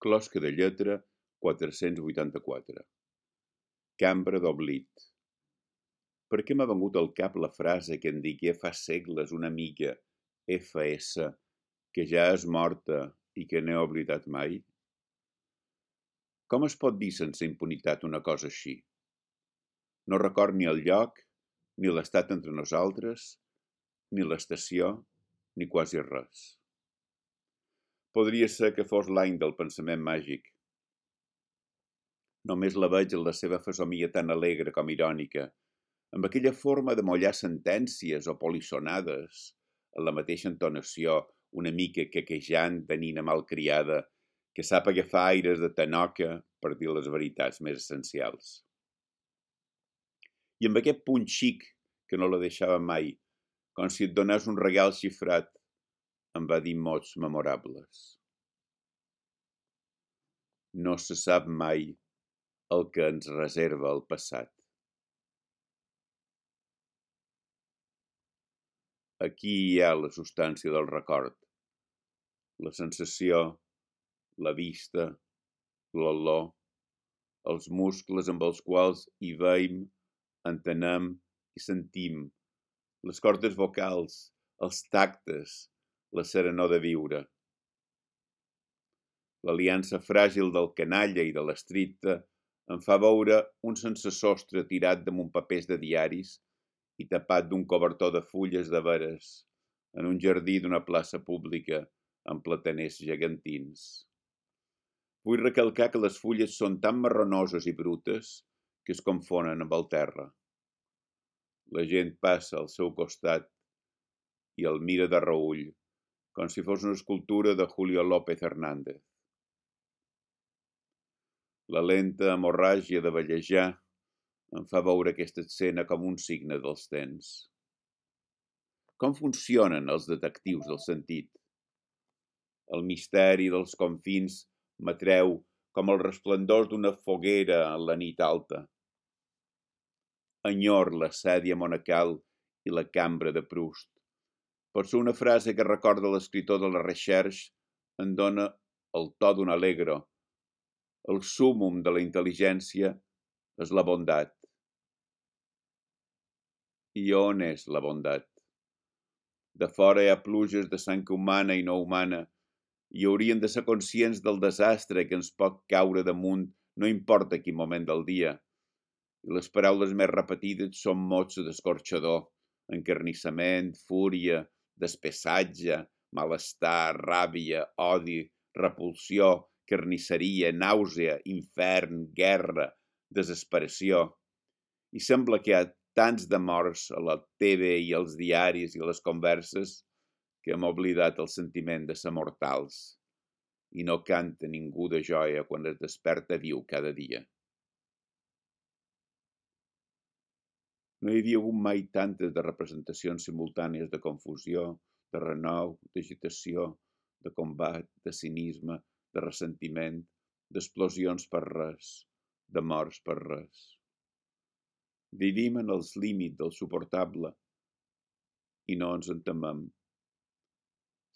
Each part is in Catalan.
Closca de lletra 484. Cambra d'oblit. Per què m'ha vengut al cap la frase que en digué fa segles una amiga F.S. que ja és morta i que no he oblidat mai? Com es pot dir sense impunitat una cosa així? No record ni el lloc, ni l'estat entre nosaltres, ni l'estació, ni quasi res. Podria ser que fos l'any del pensament màgic. Només la veig en la seva fesomia tan alegre com irònica, amb aquella forma de mollar sentències o polissonades, en la mateixa entonació, una mica quequejant de nina malcriada, que sap agafar aires de tanoca per dir les veritats més essencials. I amb aquest punt xic que no la deixava mai, com si et donés un regal xifrat, em va dir mots memorables. No se sap mai el que ens reserva el passat. Aquí hi ha la substància del record, la sensació, la vista, l'olor, els muscles amb els quals hi veiem, entenem i sentim, les cordes vocals, els tactes, la serenor de viure. L'aliança fràgil del canalla i de l'estricte em fa veure un sense sostre tirat damunt papers de diaris i tapat d'un cobertor de fulles de veres en un jardí d'una plaça pública amb plataners gegantins. Vull recalcar que les fulles són tan marronoses i brutes que es confonen amb el terra. La gent passa al seu costat i el mira de reüll, com si fos una escultura de Julio López Hernández. La lenta hemorràgia de vellejar em fa veure aquesta escena com un signe dels temps. Com funcionen els detectius del sentit? El misteri dels confins m'atreu com el resplendor d'una foguera en la nit alta. Enyor la sèdia monacal i la cambra de Proust. Per ser una frase que recorda l'escriptor de la Recherche em dona el to d'un allegro. El súmmum de la intel·ligència és la bondat. I on és la bondat? De fora hi ha pluges de sang humana i no humana i hauríem de ser conscients del desastre que ens pot caure damunt no importa quin moment del dia. I les paraules més repetides són mots d'escorxador, encarnissament, fúria, despessatge, malestar, ràbia, odi, repulsió, carnisseria, nàusea, infern, guerra, desesperació. I sembla que hi ha tants de morts a la TV i als diaris i a les converses que hem oblidat el sentiment de ser mortals i no canta ningú de joia quan es desperta viu cada dia. No hi havia hagut mai tantes de representacions simultànies de confusió, de renou, d'agitació, de combat, de cinisme, de ressentiment, d'explosions per res, de morts per res. Vivim en els límits del suportable i no ens en temem.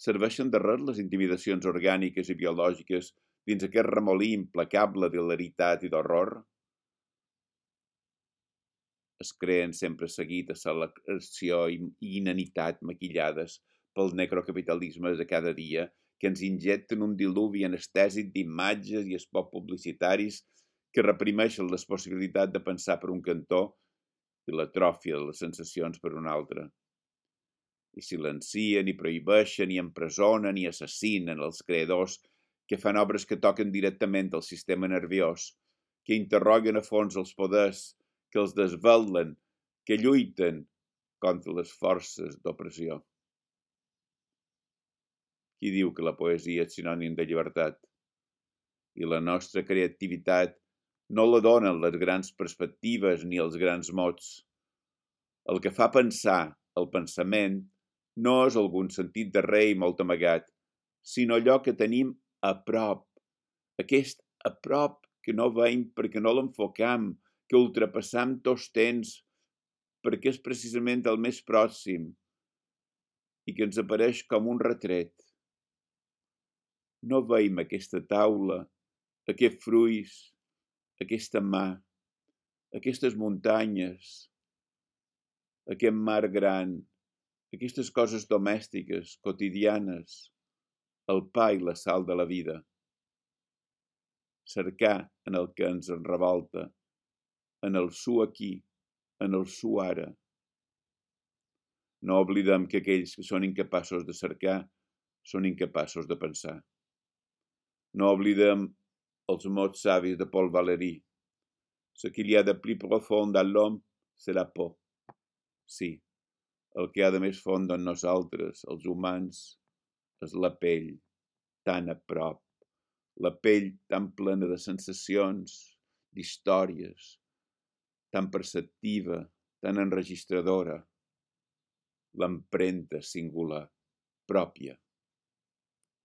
Serveixen de res les intimidacions orgàniques i biològiques dins aquest remolí implacable d'hilaritat i d'horror? Es creen sempre seguit a l'acció i inanitat maquillades pel necrocapitalisme de cada dia que ens injecten un diluvi anestèsic d'imatges i spots publicitaris que reprimeixen les possibilitats de pensar per un cantó i l'atròfia de les sensacions per un altre. I silencien, i prohibeixen, i empresonen, i assassinen els creadors que fan obres que toquen directament al sistema nerviós, que interroguen a fons els poders, que els desvelen, que lluiten contra les forces d'opressió. Qui diu que la poesia és sinònim de llibertat? I la nostra creativitat no la donen les grans perspectives ni els grans mots. El que fa pensar, el pensament, no és algun sentit de rei molt amagat, sinó allò que tenim a prop, aquest a prop que no veiem perquè no l'enfocam, que ultrapassam tots temps, perquè és precisament el més pròxim i que ens apareix com un retret. No veiem aquesta taula aquest fruits, aquesta mà, aquestes muntanyes, aquest mar gran, aquestes coses domèstiques, quotidianes, el pa i la sal de la vida. Cercar en el que ens revolta, en el su aquí, en el su ara. No oblidem que aquells que són incapaços de cercar són incapaços de pensar. No oblidem els mots savis de Paul Valéry. Ce qu'il y a de plus profond dans l'homme, c'est la por. Sí, el que hi ha de més font en nosaltres, els humans, és la pell, tan a prop, la pell tan plena de sensacions, d'històries, tan perceptiva, tan enregistradora, l'empremta singular, pròpia.